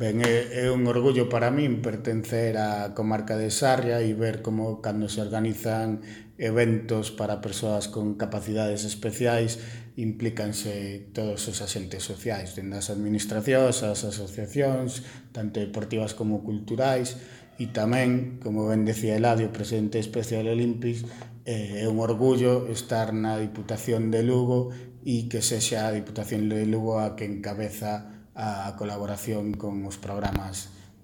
Ben, é un orgullo para min pertencer á comarca de Sarria e ver como cando se organizan eventos para persoas con capacidades especiais implícanse todos os agentes sociais, dende as administracións, as asociacións, tanto deportivas como culturais, e tamén, como ben decía Eladio, presidente especial Olimpis, é un orgullo estar na Diputación de Lugo e que sexa a Diputación de Lugo a que encabeza a colaboración con os programas